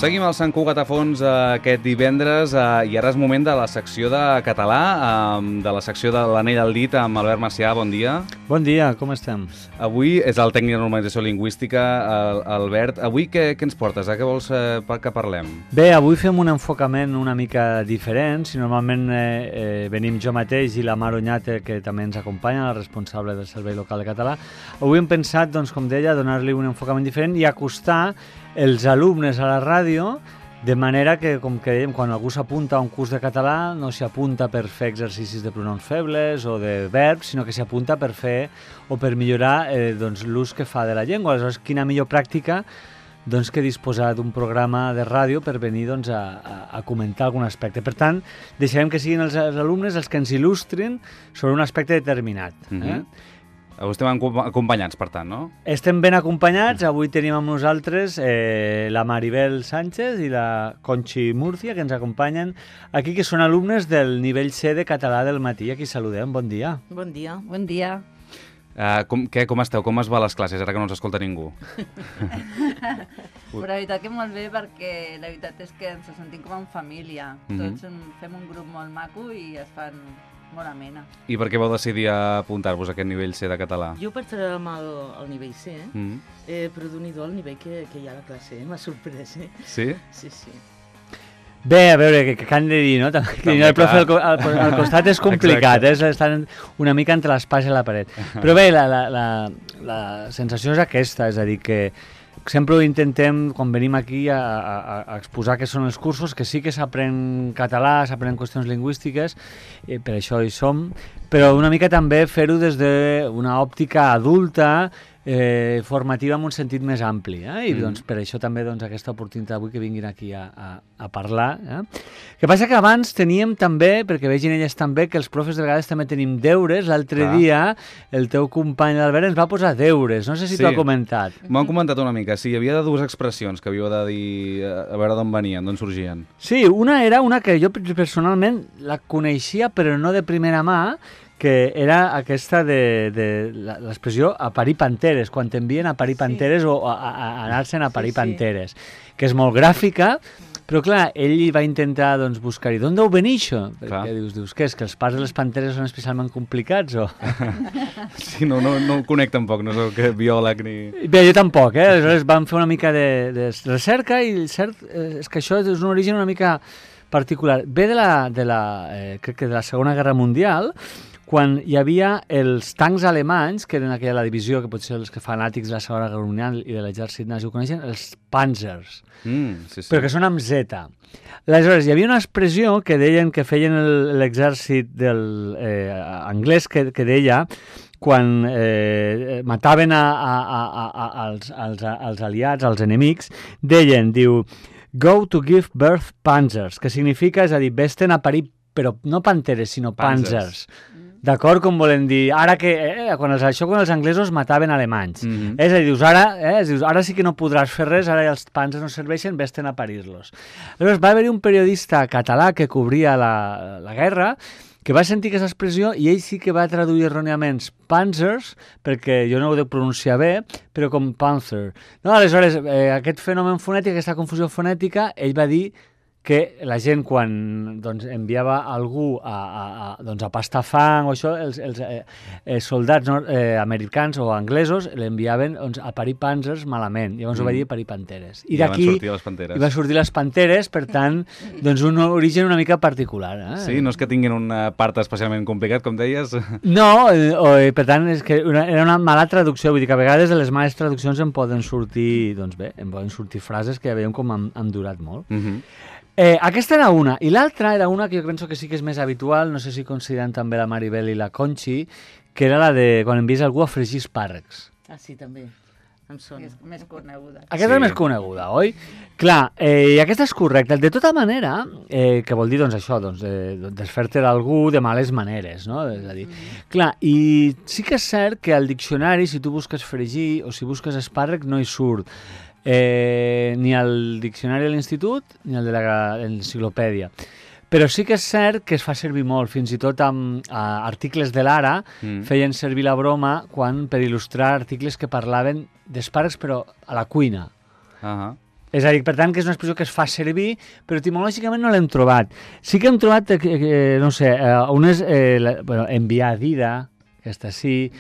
Seguim al Sant Cugat a fons aquest divendres i ara és moment de la secció de català, de la secció de l'Anell al dit amb Albert Macià. Bon dia. Bon dia, com estem? Avui és el tècnic de normalització lingüística, Albert. Avui què ens portes? Què vols que parlem? Bé, avui fem un enfocament una mica diferent. Si normalment venim jo mateix i la Mar Oñate, que també ens acompanya, la responsable del Servei Local de Català, avui hem pensat, doncs, com deia, donar-li un enfocament diferent i acostar els alumnes a la ràdio, de manera que, com que dèiem, quan algú s'apunta a un curs de català no s'hi apunta per fer exercicis de pronoms febles o de verbs, sinó que s'hi apunta per fer o per millorar doncs, l'ús que fa de la llengua. Aleshores, quina millor pràctica doncs, que disposar d'un programa de ràdio per venir doncs, a comentar algun aspecte. Per tant, deixarem que siguin els alumnes els que ens il·lustrin sobre un aspecte determinat. Avui estem acompanyats, per tant, no? Estem ben acompanyats. Avui tenim amb nosaltres la Maribel Sánchez i la Conchi Murcia, que ens acompanyen aquí, que són alumnes del nivell C de català del matí. Aquí saludem. Bon dia. Bon dia. Bon dia. Com esteu? Com es va a les classes, ara que no ens escolta ningú? Però la veritat que molt bé, perquè la veritat és que ens sentim com en família. Tots fem un grup molt maco i es fan molt amena. I per què vau decidir apuntar-vos a aquest nivell C de català? Jo pertanyem al nivell C, però d'un el nivell que hi ha a la classe, m'ha sorprès, Sí? Sí, sí. Bé, a veure, què han de dir, no? També el profe al costat és complicat, estan una mica entre l'espasa i la paret. Però bé, la sensació és aquesta, és a dir, que sempre ho intentem, quan venim aquí, a exposar què són els cursos, que sí que s'aprèn català, s'aprenen qüestions lingüístiques, per això hi som, però una mica també fer-ho des d'una òptica adulta, formativa en un sentit més ampli, i doncs, per això també doncs, aquesta oportunitat avui que vinguin aquí a parlar. Que passa que abans teníem també, perquè vegin elles també, que els profes de vegades també tenim deures. L'altre dia el teu company l'Albert ens va posar deures, no sé si t'ho ha comentat. M'ho han comentat una mica, sí, hi havia dues expressions que havíeu de dir, a veure d'on venien, d'on sorgien. Sí, una era una que jo personalment la coneixia però no de primera mà, que era aquesta de l'expressió a parir panteres, quan t'envien a parir panteres o a anar-se'n a parir panteres, que és molt gràfica, però clar, ell va intentar doncs, buscar-hi. D'on deu venir això? Perquè dius, què és, que els parts de les panteres són especialment complicats o...? Sí, no ho conec tampoc, no soc biòleg ni... Bé, jo tampoc, aleshores vam fer una mica de recerca i cert és que això és un origen una mica particular. Ve crec que de la Segona Guerra Mundial, quan hi havia els tancs alemanys, que eren aquella la divisió, que potser els que fanàtics de la Segona Guerra Mundial i de l'exèrcit nazi ho coneixen, els Panzers, però que són amb Z. Aleshores, hi havia una expressió que deien que feien l'exèrcit anglès, que deia, quan mataven als aliats, als enemics, diu, go to give birth panzers, que significa, és a dir, vés-te'n a parir, però no panteres, sinó panzers. D'acord? Com volen dir, ara que, quan els anglesos mataven alemanys. És a dir, dius, ara sí que no podràs fer res, ara els panzers no serveixen, vés-te'n a parir-los. Aleshores, va haver-hi un periodista català que cobria la guerra, que va sentir aquesta expressió i ell sí que va traduir erròniament panzers, perquè jo no ho dec pronunciar bé, però com panzer. No, aleshores, aquest fenomen fonètic, aquesta confusió fonètica, ell va dir que la gent, quan doncs, enviava algú a pastar fang o això, els soldats americans o anglesos l'enviaven a parir panzers malament. Llavors ho va dir parir panteres. I d'aquí van sortir les panteres, per tant, doncs un origen una mica particular. Sí, no és que tinguin una part especialment complicat, com deies? No, per tant, és que era una mala traducció. Vull dir que a vegades de les males traduccions em poden sortir, doncs bé, frases que ja veiem com han durat molt. Aquesta era una, i l'altra era una que jo penso que sí que és més habitual, no sé si consideren també la Maribel i la Conchi, que era la de quan envies algú a fregir espàrrecs. Ah, sí, també. Em sona. És més coneguda. Aquesta és més coneguda, oi? Clar, i aquesta és correcta. De tota manera, que vol dir, doncs, això, desfer-te d'algú de males maneres, no? És a dir, clar, i sí que és cert que al diccionari, si tu busques fregir o si busques espàrrec, no hi surt ni al diccionari de l'institut ni al de l'enciclopèdia. Però sí que és cert que es fa servir molt, fins i tot amb articles de l'Ara feien servir la broma per il·lustrar articles que parlaven d'espàrrecs però a la cuina. És a dir, per tant, que és una expressió que es fa servir, però etimològicament no l'hem trobat. Sí que hem trobat, no sé, unes... bueno, enviar dida, aquesta sí,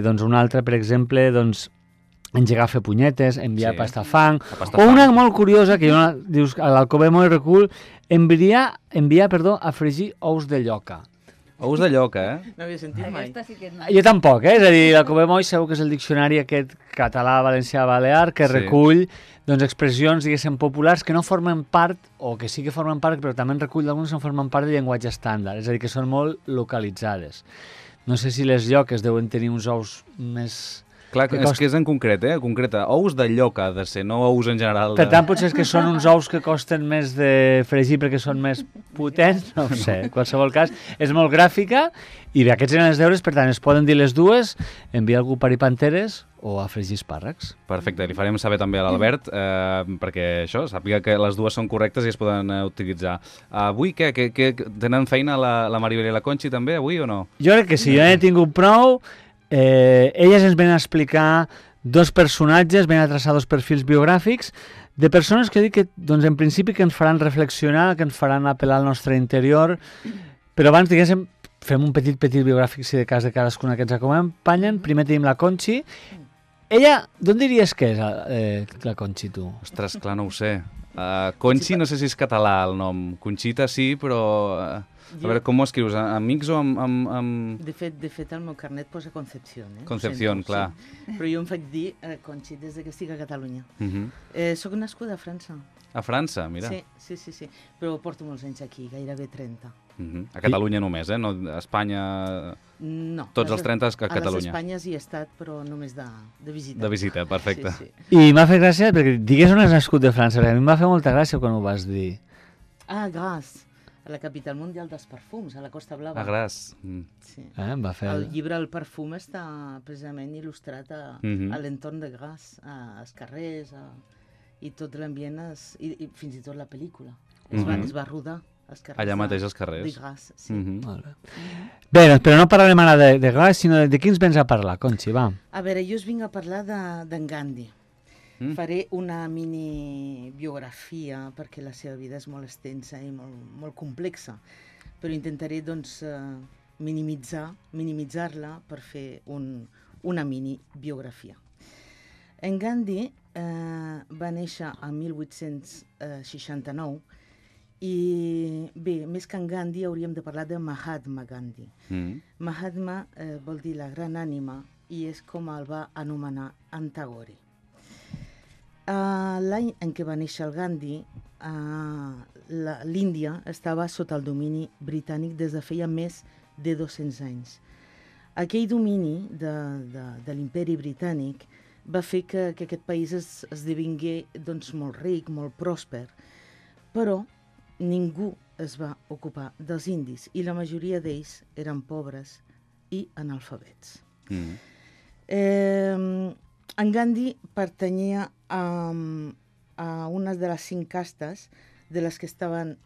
doncs una altra, per exemple, doncs engegar a fer punyetes, enviar pastafang, o una molt curiosa, que dius, a l'Alcobé molt recul, enviar, a fregir ous de lloca. Ous de lloca, No havia sentit mai. Aquesta sí que no. Jo tampoc, és a dir, l'Alcobé Moll segur que és el diccionari aquest català, valencià, balear, que recull doncs, expressions, diguéssim, populars que no formen part, o que sí que formen part, però també en recull d'alguns que no formen part del llenguatge estàndard, és a dir, que són molt localitzades. No sé si les lloques deuen tenir uns ous més... Clar, és que és en concret, concreta. Ous de lloca ha de ser, no ous en general. Per tant, potser és que són uns ous que costen més de fregir perquè són més potents, no ho sé. En qualsevol cas, és molt gràfica i bé, aquests eren els deures, per tant, es poden dir les dues, enviar algú a parir panteres o a fregir espàrrecs. Perfecte, li farem saber també a l'Albert, perquè això, sàpiga que les dues són correctes i es poden utilitzar. Avui què? Tenen feina la Maribel i la Conxi també, avui o no? Jo crec que sí, jo n'he tingut prou. Elles ens venen a explicar dos personatges, venen a traçar dos perfils biogràfics de persones que dic que, doncs, en principi, que ens faran reflexionar, que ens faran apel·lar al nostre interior, però abans, diguéssim, fem un petit biogràfic, si de cas de cadascuna que ens acompanyen. Primer tenim la Conxi. Ella, d'on diries que és la Conxi, tu? Ostres, clar, no ho sé. Conxi, no sé si és català el nom. Conxita sí, però... A veure, com ho escrius? Amics o amb... De fet, el meu carnet posa Concepción. Concepción, clar. Sí. Però jo em faig dir Conxi des que estic a Catalunya. Soc nascuda a França. A França, mira. Sí. Però porto molts anys aquí, gairebé 30. A Catalunya només, no? A Espanya... No. Tots els 30 a Catalunya. A les Espanyes hi he estat, però només de visita. De visita, perfecte. Sí. I m'ha fet gràcia, perquè digues on has nascut de França, perquè a mi em va fer molta gràcia quan ho vas dir. Grasse. A la capital mundial dels perfums, a la Costa Blava. A Gras. Sí. Em va fer... El llibre El perfum està precisament il·lustrat a l'entorn de Gras, als carrers, i tot l'ambient, i fins i tot la pel·lícula. Es va rodar als carrers. Allà mateix als carrers. De Gras, sí. Bé, però no parlarem ara de Gras, sinó de qui ens vens a parlar, Conxi, va. A veure, jo us vinc a parlar d'en Gandhi. Faré una mini biografia perquè la seva vida és molt extensa i molt complexa, però intentaré doncs, minimitzar-la per fer una mini biografia. En Gandhi va néixer en 1869 i bé, més que en Gandhi hauríem de parlar de Mahatma Gandhi. Mahatma vol dir la gran ànima i és com el va anomenar en Tagore. L'any en què va néixer el Gandhi, l'Índia estava sota el domini britànic des de feia més de 200 anys. Aquell domini de l'imperi britànic va fer que aquest país esdevingué doncs, molt ric, molt pròsper, però ningú es va ocupar dels indis i la majoria d'ells eren pobres i analfabets. En Gandhi pertanyia a una de les 5 castes de les que estaven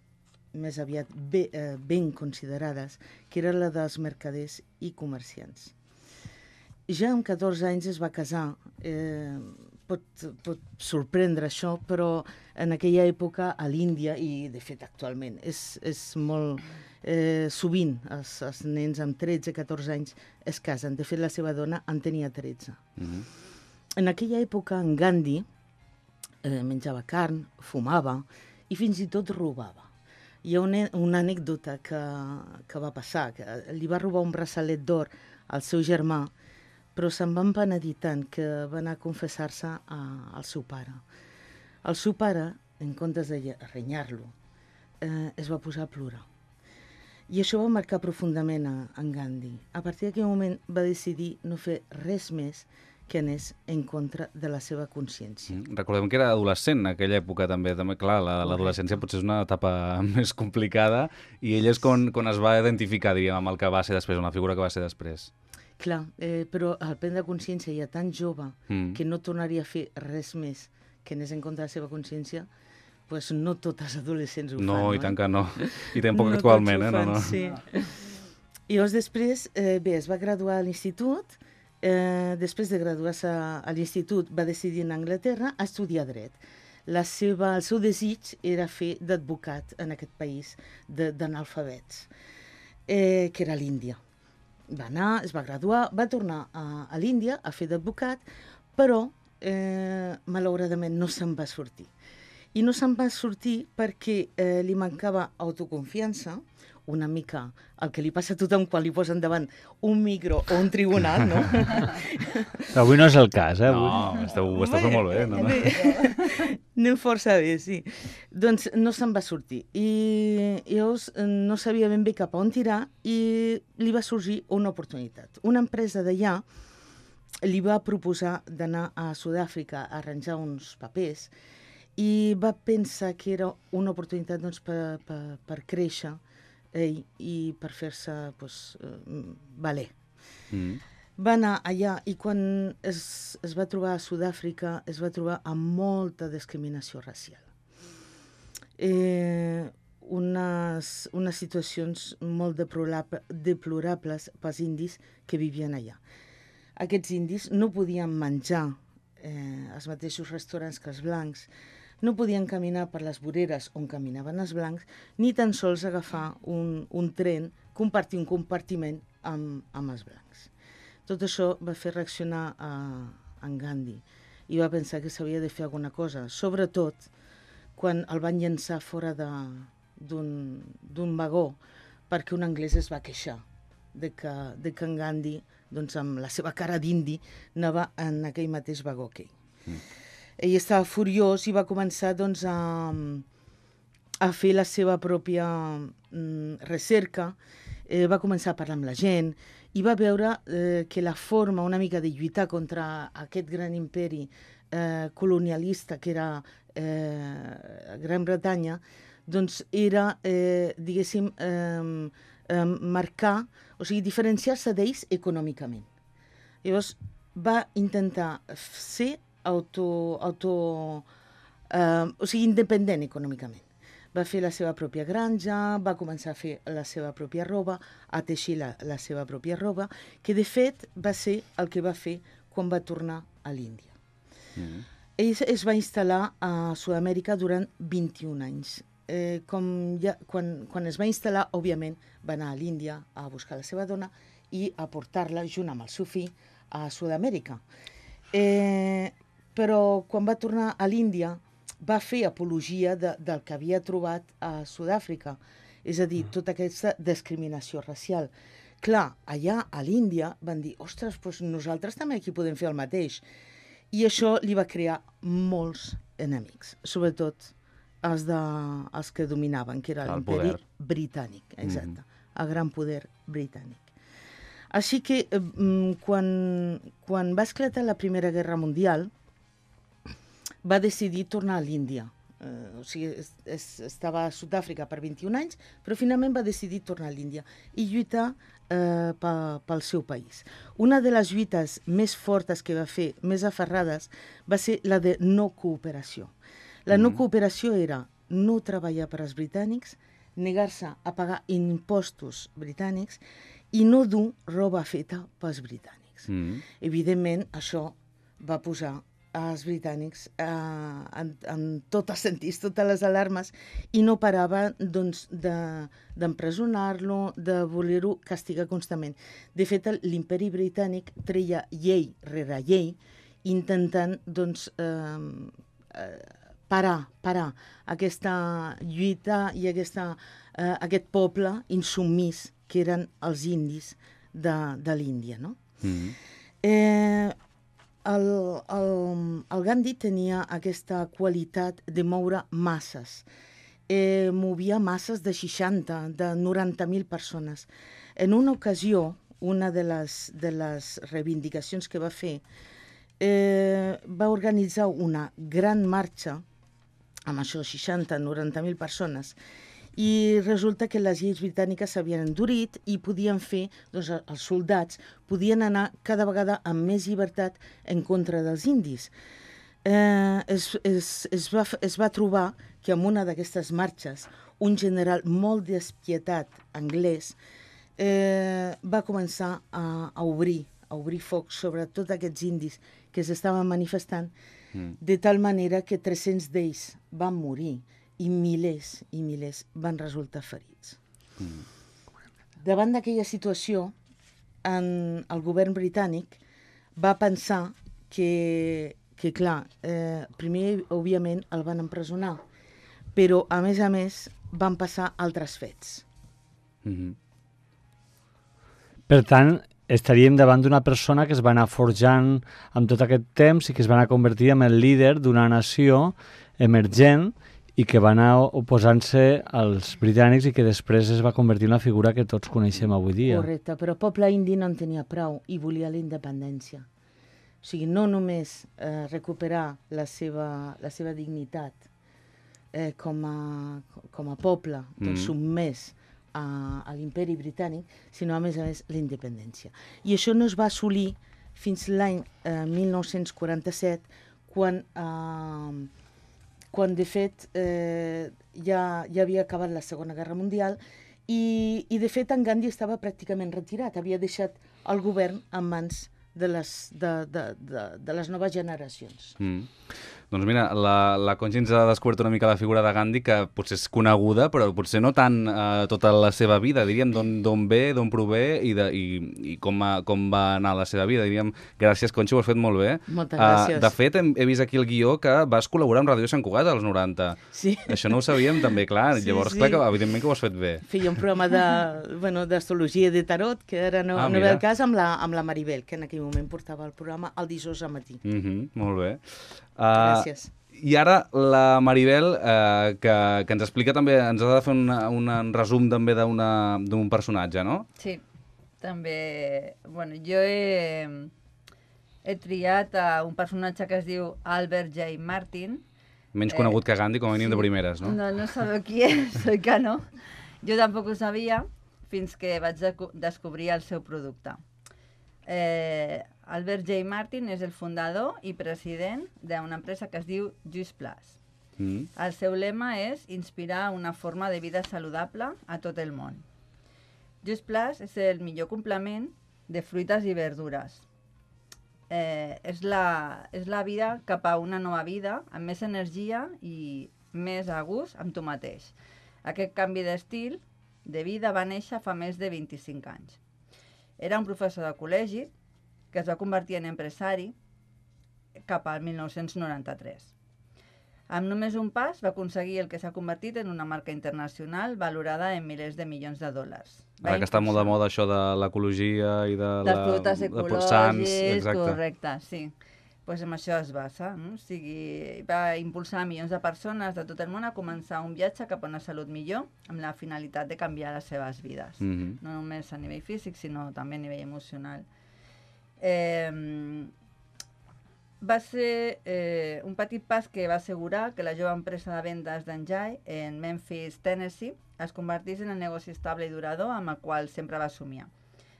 més aviat ben considerades, que era la dels mercaders i comerciants. Ja amb 14 anys es va casar. Pot sorprendre això, però en aquella època a l'Índia, i de fet actualment, és molt... sovint els nens amb 13-14 anys es casen. De fet, la seva dona en tenia 13. En aquella època, en Gandhi menjava carn, fumava i fins i tot robava. Hi ha una anècdota que va passar, que li va robar un braçalet d'or al seu germà, però se'n va empenedir tant que va anar a confessar-se al seu pare. El seu pare, en comptes de renyar-lo, es va posar a plorar. I això va marcar profundament en Gandhi. A partir d'aquell moment va decidir no fer res més que anés en contra de la seva consciència. Recordem que era adolescent en aquella època també. Clar, l'adolescència potser és una etapa més complicada i ell és quan es va identificar, diríem, amb el que va ser després, amb la figura que va ser després. Clar, però al prendre consciència ja tan jove que no tornaria a fer res més que anés en contra de la seva consciència, doncs no tots els adolescents ho fan. No, i tant que no. I tampoc actualment, no. Sí. I llavors després, es va graduar a l'institut. Després de graduar-se a l'institut va decidir anar a Anglaterra a estudiar dret. el seu desig era fer d'advocat en aquest país d'analfabets, que era l'Índia. Va anar, es va graduar, va tornar a l'Índia a fer d'advocat, però malauradament no se'n va sortir. I no se'n va sortir perquè li mancava autoconfiança, una mica el que li passa a tothom quan li posen davant un micro o un tribunal, no? Avui no és el cas, eh? No, ho esteu fent molt bé. No? Anem força bé, sí. Doncs no se'n va sortir. I llavors no sabia ben bé cap a on tirar i li va sorgir una oportunitat. Una empresa d'allà li va proposar d'anar a Sud-àfrica a arranjar uns papers i va pensar que era una oportunitat doncs, per créixer i per fer-se valer. Va anar allà i quan es va trobar a Sud-àfrica es va trobar amb molta discriminació racial. Unes situacions molt deplorables pels indis que vivien allà. Aquests indis no podien menjar als mateixos restaurants que els blancs, no podien caminar per les voreres on caminaven els blancs, ni tan sols agafar un tren, compartir un compartiment amb els blancs. Tot això va fer reaccionar en Gandhi i va pensar que s'havia de fer alguna cosa, sobretot quan el van llançar fora d'un vagó perquè un anglès es va queixar de que en Gandhi, doncs, amb la seva cara d'indi, anava en aquell mateix vagó que ell. Ell estava furiós i va començar doncs, a fer la seva pròpia recerca, va començar a parlar amb la gent i va veure que la forma una mica de lluitar contra aquest gran imperi colonialista que era Gran Bretanya, doncs era, diguéssim, marcar, o sigui, diferenciar-se d'ells econòmicament. Llavors va intentar ser independent econòmicament. Va fer la seva pròpia granja, va començar a fer la seva pròpia roba, a teixir la seva pròpia roba, que de fet va ser el que va fer quan va tornar a l'Índia. Ell es va instal·lar a Sud-amèrica durant 21 anys. Quan es va instal·lar, òbviament, va anar a l'Índia a buscar la seva dona i a portar-la junt amb el seu fill a Sud-amèrica. Però quan va tornar a l'Índia va fer apologia del que havia trobat a Sud-àfrica, és a dir, tota aquesta discriminació racial. Clar, allà a l'Índia van dir, ostres, doncs nosaltres també aquí podem fer el mateix. I això li va crear molts enemics, sobretot els que dominaven, que era l'imperi britànic, exacte, el gran poder britànic. Així que quan va esclatar la Primera Guerra Mundial, va decidir tornar a l'Índia. O sigui, estava a Sud-àfrica per 21 anys, però finalment va decidir tornar a l'Índia i lluitar pel seu país. Una de les lluites més fortes que va fer, més aferrades, va ser la de no cooperació. La no cooperació era no treballar per als britànics, negar-se a pagar impostos britànics i no dur roba feta pels britànics. Evidentment, això va posar als britànics en tots els sentits, totes les alarmes, i no parava doncs, d'empresonar-lo, de voler-ho castigar constantment. De fet, l'imperi britànic treia llei rere llei, intentant doncs, parar aquesta lluita i aquest poble insubmís que eren els indis de l'Índia, no? El Gandhi tenia aquesta qualitat de moure masses. Movia masses de 60, de 90.000 persones. En una ocasió, una de les reivindicacions que va fer, va organitzar una gran marxa amb això, 60, 90.000 persones, i resulta que les lleis britàniques s'havien endurit i podien fer, doncs els soldats podien anar cada vegada amb més llibertat en contra dels indis. Es va trobar que en una d'aquestes marxes un general molt despietat anglès va començar a obrir foc sobre tots aquests indis que s'estaven manifestant de tal manera que 300 d'ells van morir i milers van resultar ferits. Davant d'aquella situació, el govern britànic va pensar que clar, primer, òbviament, el van empresonar, però, a més, van passar altres fets. Per tant, estaríem davant d'una persona que es va anar forjant amb tot aquest temps i que es va anar convertir en el líder d'una nació emergent i que va anar oposant-se als britànics i que després es va convertir en la figura que tots coneixem avui dia. Correcte, però el poble indi no en tenia prou i volia la independència. O sigui, no només recuperar la seva dignitat com a poble submès a l'imperi britànic, sinó a més, la independència. I això no es va assolir fins l'any 1947, quan de fet ja havia acabat la Segona Guerra Mundial i de fet en Gandhi estava pràcticament retirat, havia deixat el govern en mans de les noves generacions. Doncs mira, la Conchi ens ha descobert una mica la figura de Gandhi, que potser és coneguda, però potser no tant tota la seva vida, diríem, d'on ve, d'on prové i com va anar la seva vida. Diríem, gràcies, Conchi, ho has fet molt bé. Moltes gràcies. De fet, he vist aquí el guió que vas col·laborar amb Ràdio Sant Cugat als 90. Sí. Això no ho sabíem també, clar. Sí, Llavors, sí. clar, que evidentment que ho has fet bé. Feia un programa d'astrologia i de tarot, que ara no ve el cas, amb la Maribel, que en aquell moment portava el programa el dijous al matí. Molt bé. Gràcies. I ara la Maribel, que ens explica també, ens ha de fer un resum també d'un personatge, no? Sí, també... Bueno, jo he triat un personatge que es diu Albert J. Martin. Menys conegut que Gandhi, com a mínim de primeres, no? No sabeu qui és, oi que no? Jo tampoc ho sabia fins que vaig descobrir el seu producte. Albert J. Martin és el fundador i president d'una empresa que es diu Just Plus. El seu lema és inspirar una forma de vida saludable a tot el món. Just Plus és el millor complement de fruites i verdures. És la vida cap a una nova vida amb més energia i més a gust amb tu mateix. Aquest canvi d'estil de vida va néixer fa més de 25 anys. Era un professor de col·legi que es va convertir en empresari cap al 1993. Amb només un pas va aconseguir el que s'ha convertit en una marca internacional valorada en milers de milions de dòlars. Ara que està molt de moda això de l'ecologia i dels productes ecològics, exacte. Correcte, sí. Pues en això es basa, no? O sigui, va impulsar milions de persones de tot el món a començar un viatge cap a una salut millor amb la finalitat de canviar les seves vides. No només a nivell físic, sinó també a nivell emocional. Va ser un petit pas que va assegurar que la jove empresa de vendes d'Enjai en Memphis, Tennessee, es convertís en el negoci estable i durador amb el qual sempre va somiar.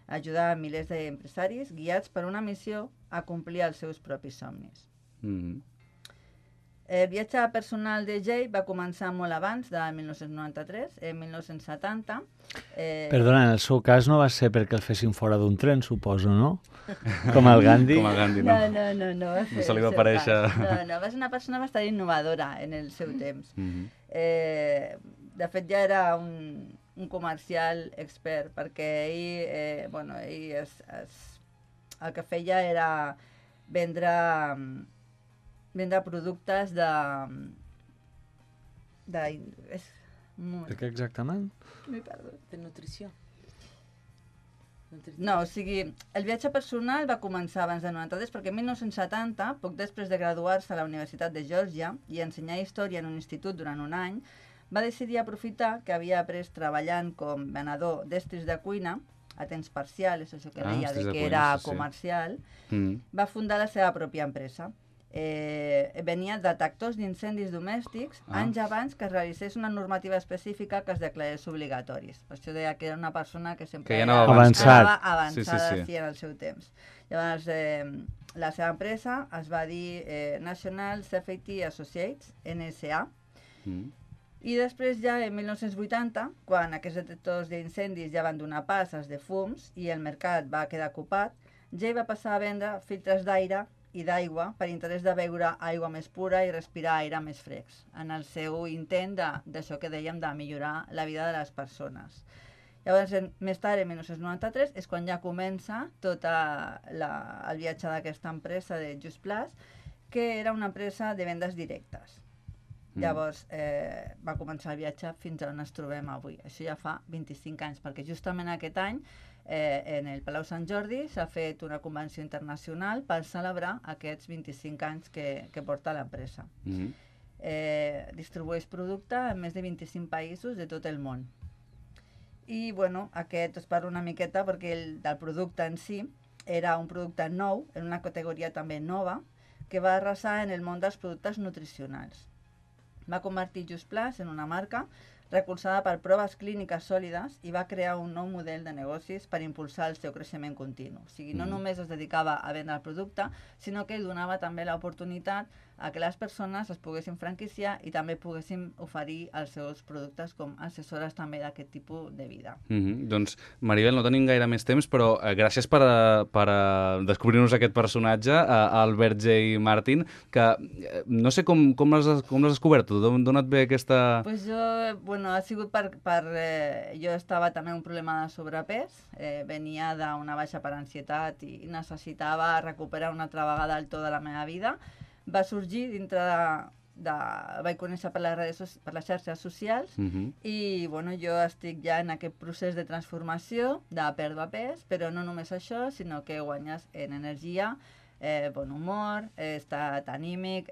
Ajudar a milers d'empresaris guiats per una missió a complir els seus propis somnis. El viatge personal de Jay va començar molt abans de 1993, en 1970. Perdona, en el seu cas no va ser perquè el fessin fora d'un tren, suposo, no? Com el Gandhi. Com el Gandhi, no. No va ser no se li va aparèixer... No, va ser una persona bastant innovadora en el seu temps. De fet, ja era un comercial expert, perquè ell el que feia era vendre productes de què exactament? M'he perdut. De nutrició. No, o sigui, el viatge personal va començar abans de 93, perquè en 1970, poc després de graduar-se a la Universitat de Geòrgia i ensenyar història en un institut durant un any, va decidir aprofitar que havia après treballant com venedor d'estris de cuina a temps parcial, és això que deia, de que era comercial, va fundar la seva pròpia empresa. Venia detectors d'incendis domèstics anys abans que es realitzés una normativa específica que es declarés obligatoris. Per això deia que era una persona que sempre anava avançada en el seu temps. Llavors, la seva empresa es va dir National Safety Associates, NSA, i després ja en 1980, quan aquests detectors d'incendis ja van donar pas als de fums i el mercat va quedar ocupat, Jay va passar a vendre filtres d'aire i d'aigua per interès de beure aigua més pura i respirar aire més fresc, en el seu intent d'això que dèiem, de millorar la vida de les persones. Llavors, més tard, en 1993, és quan ja comença tot el viatge d'aquesta empresa de Just Plus, que era una empresa de vendes directes. Llavors, va començar el viatge fins on ens trobem avui. Això ja fa 25 anys, perquè justament aquest any, en el Palau Sant Jordi, s'ha fet una convenció internacional per celebrar aquests 25 anys que porta l'empresa. Distribueix producte en més de 25 països de tot el món. I, bueno, aquest us parlo una miqueta perquè del producte en si era un producte nou, en una categoria també nova, que va arrasar en el món dels productes nutricionals. Va convertir Just Plus en una marca recolzada per proves clíniques sòlides i va crear un nou model de negocis per impulsar el seu creixement continu. O sigui, no només es dedicava a vendre el producte, sinó que donava també l'oportunitat a que les persones es poguessin franquiciar i també poguessin oferir els seus productes com assessores també d'aquest tipus de vida. Doncs, Maribel, no tenim gaire més temps, però gràcies per descobrir-nos aquest personatge, Albert J. Martin, que no sé com l'has descobert tu, d'on et ve aquesta... Pues ha sigut jo estava també amb un problema de sobrepès, venia d'una baixa per ansietat i necessitava recuperar una altra vegada el to de la meva vida. Va sorgir dintre vaig conèixer per les xarxes socials i jo estic ja en aquest procés de transformació, de pèrdua pes, però no només això, sinó que guanyes en energia, bon humor, estat anímic,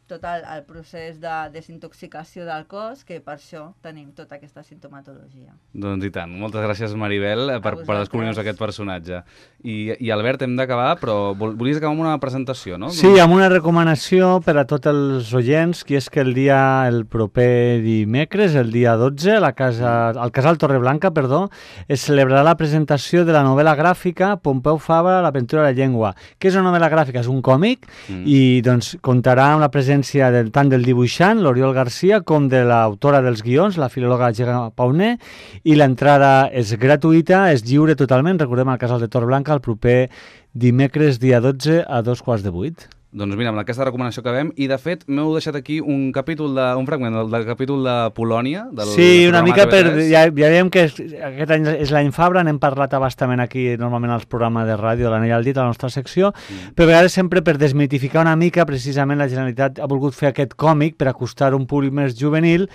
tot el procés de desintoxicació del cos, que per això tenim tota aquesta sintomatologia. Doncs i tant. Moltes gràcies, Maribel, per descobrir-nos aquest personatge. I Albert, hem d'acabar, però volies acabar amb una presentació, no? Sí, amb una recomanació per a tots els oients, que és que el proper dimecres, el dia 12, al Casal Torreblanca, es celebrarà la presentació de la novel·la gràfica Pompeu Fabra, l'aventura de la llengua. Què és una novel·la gràfica? És un còmic i contarà amb la presència tant del dibuixant, l'Oriol Garcia, com de l'autora dels guions, la filòloga Gemma Pauner, i l'entrada és gratuïta, és lliure totalment, recordem al Casal de Torreblanca, el proper dimecres, dia 12, a 7:15. Doncs mira, amb aquesta recomanació acabem, i de fet m'heu deixat aquí un fragment del capítol de Polònia. Sí, una mica ja veiem que aquest any és l'any Fabra, n'hem parlat abastament aquí normalment als programes de ràdio de l'Anell al dit, a la nostra secció, però a vegades sempre per desmitificar una mica, precisament la Generalitat ha volgut fer aquest còmic per acostar un públic més juvenil.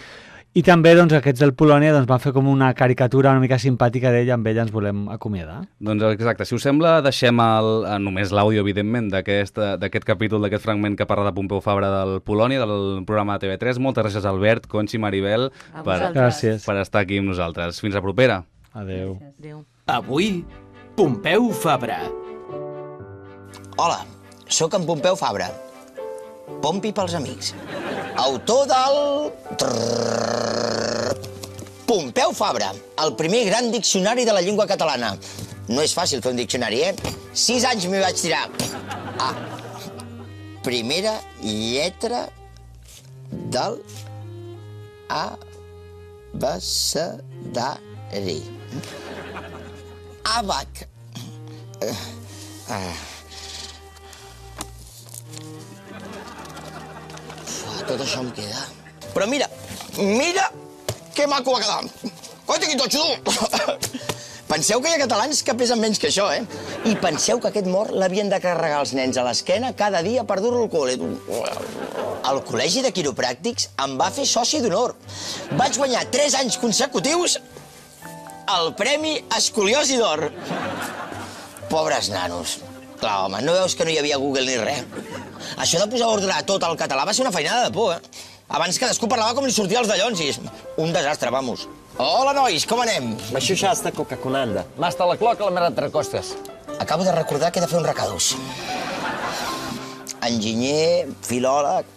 I també aquests del Polònia van fer com una caricatura una mica simpàtica d'ell, amb ella ens volem acomiadar. Doncs exacte, si us sembla, deixem només l'àudio, evidentment, d'aquest capítol, d'aquest fragment que parla de Pompeu Fabra del Polònia, del programa de TV3. Moltes gràcies, Albert, Conxi, Maribel, per estar aquí amb nosaltres. Fins la propera. Adéu. Avui, Pompeu Fabra. Hola, sóc en Pompeu Fabra. Pompi pels amics. Autor del... Pompeu Fabra, el primer gran diccionari de la llengua catalana. No és fàcil fer un diccionari, 6 anys m'hi vaig tirar. Primera lletra del abecedari. Abac. Tot això em queda. Però mira que maco va quedar. Coita, quin totxo, tu! Penseu que hi ha catalans que pesen menys que això, I penseu que aquest mort l'havien de carregar els nens a l'esquena cada dia per dur-lo al col·le. El Col·legi de Quiropràctics em va fer soci d'honor. Vaig guanyar 3 anys consecutius el Premi Escoliosi d'Or. Pobres nanos. Clar, home, no veus que no hi havia Google ni res? Això de posar ordre a tot el català va ser una feinada de por, Abans cadascú parlava com li sortia els dallons i un desastre, vamos. Hola, nois, com anem? Això ja està coca-conanda. M'hasta la cloca la mera entrecostes. Acabo de recordar que he de fer un recadús. Enginyer, filòleg...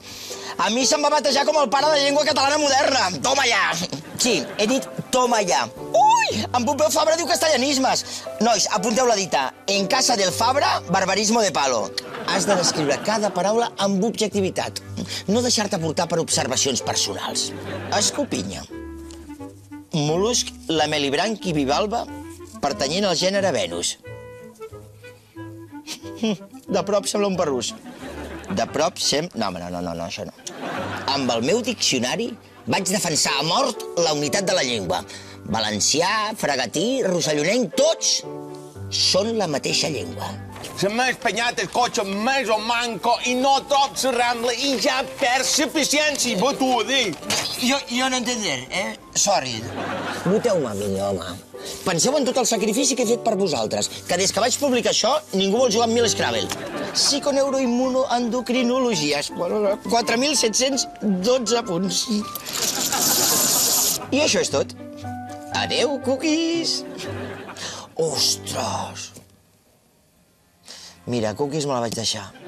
A mi se'm va batejar com el pare de llengua catalana moderna. Toma ja! Sí, he dit toma ja. Ui! En Pompeu Fabra diu castellanismes. Nois, apunteu la dita. En casa del Fabra, barbarismo de palo. Has de descriure cada paraula amb objectivitat. No deixar-te portar per observacions personals. Escopinya. Mol·lusc lamelibranqui bivalva pertanyent al gènere Venus. De prop sembla un parrús. De prop No, això no. Amb el meu diccionari vaig defensar a mort la unitat de la llengua. Valencià, fregatí, rossellonenc, tots són la mateixa llengua. Se m'ha espanyat el cotxe més o manco i no trob la Rambla i ja perds la paciència, bo t'ho dic. Jo no entender, Sorry. Voteu-me a mi, home. Penseu en tot el sacrifici que he fet per vosaltres, que des que vaig publicar això ningú vol jugar amb mi a l'Scrabble. Psiconeuroimmunoendocrinologies, 4.712 punts. I això és tot. Adéu, cookies. Ostres! Mira, cookies me la vaig deixar.